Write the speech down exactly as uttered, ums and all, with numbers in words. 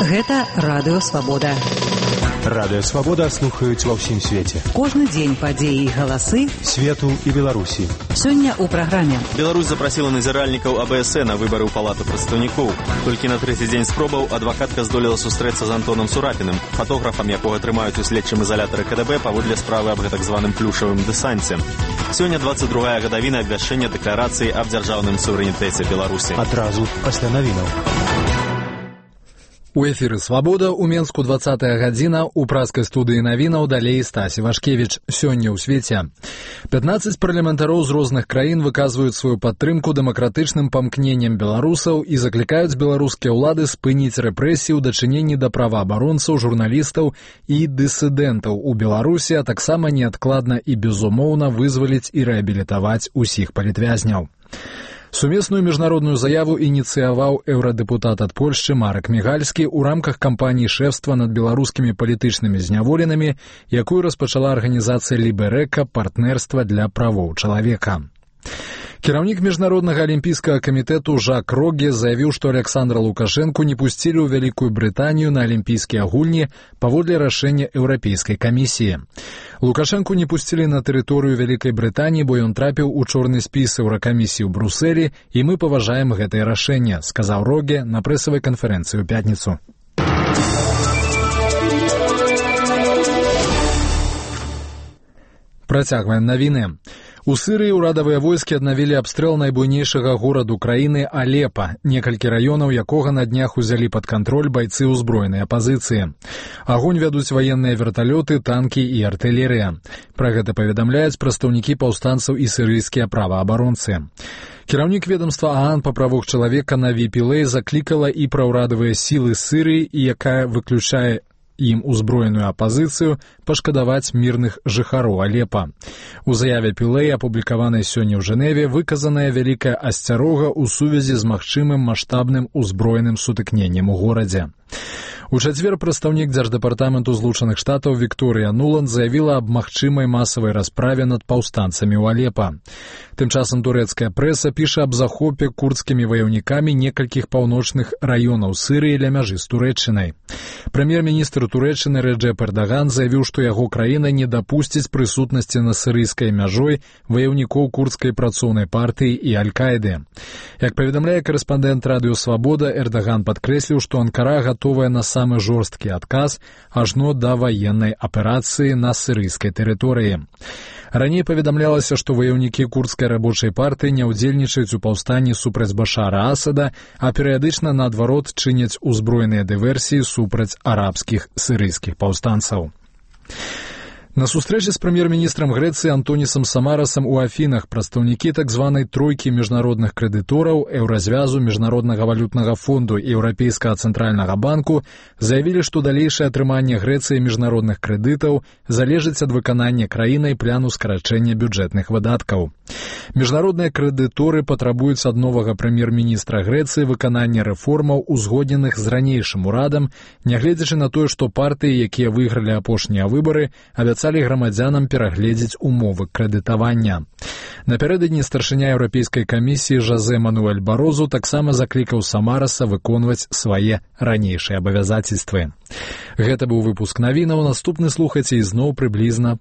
Гэта Радыё Свабода. Радыё Свабода слухаюць ва ўсім свеце. Кожны дзень падзеі і галасы свету і Беларусі. Сёння ў праграме. Беларусь запрасіла назіральнікаў А Бэ Эс Э на выбары ў палату прадстаўнікоў. Толькі на трэці дзень спробаў адвакатка здолела сустрэцца з Антонам Сурапіным, фотографам, якога трымаюць у следчым ізалятары Ка Дэ Бэ паводле справы аб гэтак званым плюшавым дэсанце. Сёння дваццаць другая гадавіна абвяшчэння дэкларацыі аб дзяржаўным суверэнітэце Беларусі. Адразу пасля навінаў. У эфіры «Свабода» у Менску двадцатая гадзіна, у праскай студыі навінаў далей Стасі Вашкевіч. Сёння ў свеце. пятнаццаць парламентароў з розных краін выказваюць сваю падтрымку дэмакратычным памкненням беларусаў і заклікаюць беларускія ўлады спыніць рэпрэсіі ў дачыненні да праваабаронцаў, журналістаў і дысідэнтаў у Беларусі, а таксама неадкладна і безумоўна вызваліць і рэабілітаваць усіх палітвязняў. Сумесную міжнародную заяву ініцыяваў еўрадэпутат ад Польшчы Марак Мігальскі ў рамках кампаніі шэфства над беларускімі палітычнымі зняволенымі, якую распачала арганізацыя Ліберэка партнерства для правоў чалавека. Кіраўнік міжнароднага алімпійскага камітэту Жак Роге заявіў, што Александра Лукашэнку не пусцілі ў Вялікую Брытанію на алімпійскія гульні паводле рашэння Еўрапейскай камісіі. Лукашэнку не пусцілі на тэрыторыю Вялікай Брытаніі, бо ён трапіў у чорны спіс Еўракамісіі ў Брусэлі, і мы паважаем гэтае рашэнне, сказаў Роге на прэсавай канферэнцыі ў пятніцу. Працягваем навіны. У Сырыі ўрадавыя войскі аднавілі абстрэл найбуйнейшага гораду краіны Алепа, некалькі раёнаў якога на днях узялі пад кантроль байцы ўзброенай апазіцыі. Агонь вядуць ваенныя верталёты, танкі і артылерыя. Пра гэта паведамляюць прадстаўнікі паўстанцаў і сірыйскія праваабаронцы. Кіраўнік ведомства ААН па правах чалавека Наві Пілэй заклікала і пра ўрадавыя сілы Сырыі, якая выключае ім узброеную апазіцыю, пашкадаваць мірных жыхароў Алепа. У заяве Пілэй, апублікаванай сёння ў Жэневе, выказаная вялікая асцярога ў сувязі з магчымым маштабным узброеным сутыкненнем у горадзе. У чацвер прадстаўнік дзярждэпартаменту Злучаных Штатаў Вікторыя Нуланд заявіла аб магчымай масавай расправе над паўстанцамі ў Алепа. Тым часам турэцкая прэса піша аб захопе курдскімі ваяўнікамі некалькіх паўночных раёнаў Сырыі ля мяжы з Турэччынай. Прэм'ер-міністр Турэччыны Рэджэп Эрдаган заявіў, што яго краіна не дапусціць прысутнасці на сырыйскай мяжой ваяўнікоў курдскай працоўнай партыі і Аль-Каіды. Як паведамляе корэспандэнт Радыё Свабода, Эрдаган падкрэсліў, што Анкара гатовая на самы жорсткі адказ ажно да ваеннай аперацыі на сырыйскай тэрыторыі. Раней паведамлялася, што ваяўнікі курдскай рабочай партыі не ўдзельнічаюць у паўстанні супраць Башара Асада, а перыядычна, наадварот, чыняць узброеныя дыверсіі супраць арабскіх сырыйскіх паўстанцаў. На сустрэчы з прэм'ер-міністрам Грэцыі Антонісам Самарасам у Афінах прадстаўнікі так званай тройкі міжнародных крэдытораў, Еўразвязу, Міжнароднага валютнага фонду і Еўрапейскага цэнтральнага банку заявілі, што далейшае атрыманне Грэцыі міжнародных крэдытаў залежыць ад выканання краінай плану скарачэння бюджэтных выдаткаў. Міжнародныя крэдыторы патрабуюць ад новага прэм'ер-міністра Грэцыі выканання рэформаў, узгодненых з ранейшым урадам, нягледзячы на тое, што партыі, якія выйгралі апошнія выбары, абяцалі грамадзянам перагледзець умовы крэдытавання. Напярэдадні старшыня Еўрапейскай камісіі Жозе Мануэль Барозу таксама заклікаў Самараса выконваць свае ранейшыя абавязацельствы. Гэта быў выпуск навінаў, наступны слухайце ізноў прыблізна